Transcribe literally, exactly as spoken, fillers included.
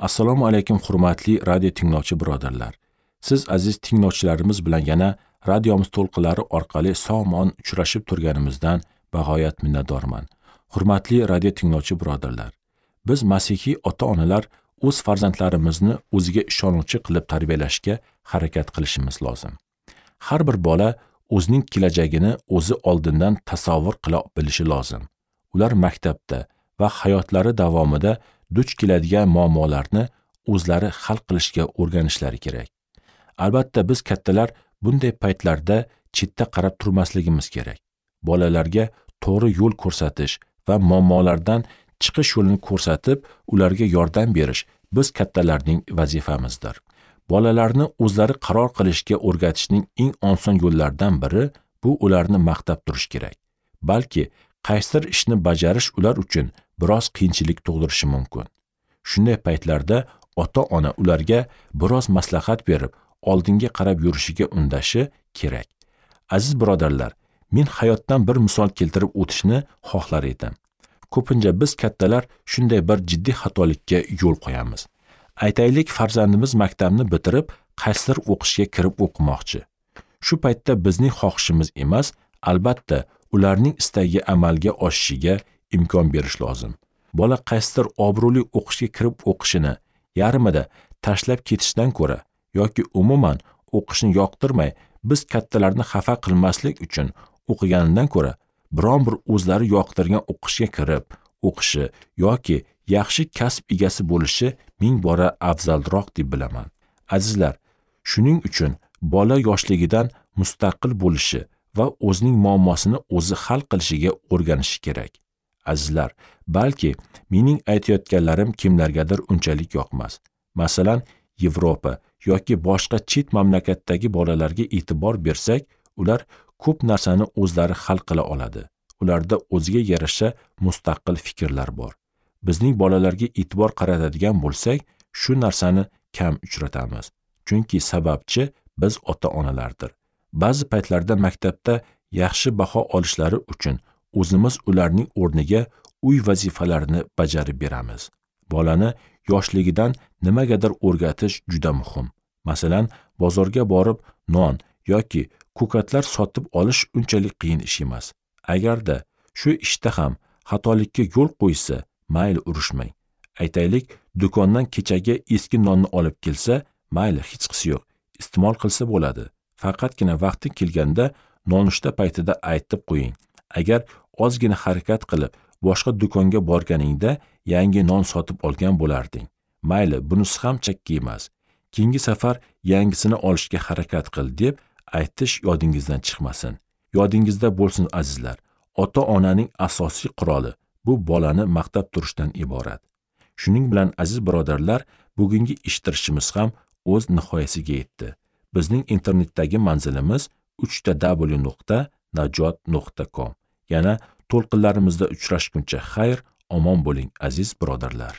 Assalomu alaykum hurmatli radio tinglovchi birodarlar. Siz aziz tinglovchilarimiz bilan yana radiomiz to'lqinlari orqali sog'-omon uchrashib turganimizdan bag'oyat minnatdorman. Hurmatli radio tinglovchi birodarlar, biz masihiy ota-onalar o'z farzandlarimizni o'ziga ishonuvchi qilib tarbiyalashga harakat qilishimiz lozim. Har bir bola o'zining kelajagini o'zi oldindan tasavvur qila bilishi lozim. Ular maktabda va hayotlari davomida duch keladigan muammolarni o'zlari hal qilishga o'rganishlari kerak. Albatta biz kattalar bunday paytlarda chetda qarab turmasligimiz kerak. Bolalarga to'g'ri yo'l ko'rsatish va muammolardan chiqish yo'lini ko'rsatib, ularga yordam berish biz kattalarning vazifamizdir. Bolalarni o'zlari qaror qilishga o'rgatishning eng oson yo'llaridan biri bu ularni maqtab turish kerak. Balki qaysidir ishni bajarish ular uchun biroz qiyinchilik tug'dirishi mumkin. Shunday paytlarda ota-ona ularga biroz maslahat berib, oldinga qarab yurishiga undashi kerak. Aziz birodarlar, men hayotdan bir misol keltirib o'tishni xohlar edim. Ko'pincha biz kattalar shunday bir jiddiy xatolikka yo'l qo'yamiz. Aytaylik, farzandimiz maktabni bitirib, qaysidir o'qishga kirib o'qimoqchi. Shu paytda bizning xohishimiz emas, albatta ularning istagi amalga oshishiga imkon berish lozim. Bola qaysidir obro'li o'qishga kirib o'qishini yarmida tashlab ketishdan ko'ra yoki umuman o'qishni yoqtirmay biz kattalarni xafa qilmaslik uchun o'qiganidan ko'ra biron bir o'zlari yoqtirgan o'qishga kirib o'qishi yoki yaxshi kasb egasi bo'lishi ming bora afzalroq deb bilaman. Azizlar, shuning uchun bola yoshligidan mustaqil bo'lishi va o'zining muammosini o'zi hal qilishiga o'rganishi kerak. Azizlar, balki mening aytayotganlarim kimlargadir unchalik yoqmas. Masalan, Yevropa yoki boshqa chet mamlakatdagi bolalarga e'tibor bersak, ular ko'p narsani o'zlari hal qila oladi. Ularda o'ziga yarasha mustaqil fikrlar bor. Bizning bolalarga e'tibor qaratadigan bo'lsak, shu narsani kam uchratamiz. Chunki sababchi biz ota-onalardir. Ba'zi paytlarda maktabda yaxshi baho olishlari uchun o'zimiz ularning o'rniga uy vazifalarini bajarib beramiz. Bolani yoshligidan nimagadir o'rgatish juda muhim. Masalan, bozorga borib non yoki ko'katlar sotib olish unchalik qiyin ish emas. Agarda shu ishda ham xatolikka yo'l qo'ysa, mayli urushmang. Aytaylik, do'kondan kechagi eski nonni olib kelsa, mayli hechqisi yo'q, iste'mol qilsa bo'ladi. Faqatgina vaqti kelganda nonushta paytida aytib qo'ying. Agar ozgina harakat qilib boshqa do'konga borganingda yangi non sotib olgan bo'larding. Mayli, bunisi ham chakki emas. Keyingi safar yangisini olishga harakat qil deb aytish yodingizdan chiqmasin. Yodingizda bo'lsin azizlar, ota-onaning asosiy quroli bu bolani maqtab turishdan iborat. Shuning bilan aziz birodarlar, bugungi eshittirishimiz ham o'z nihoyasiga yetdi. Bizning internetdagi manzilimiz uch ta w nuqta najot nuqta com. Yana to'lqinlarimizda uchrashguncha xayr, omon bo'ling aziz birodarlar.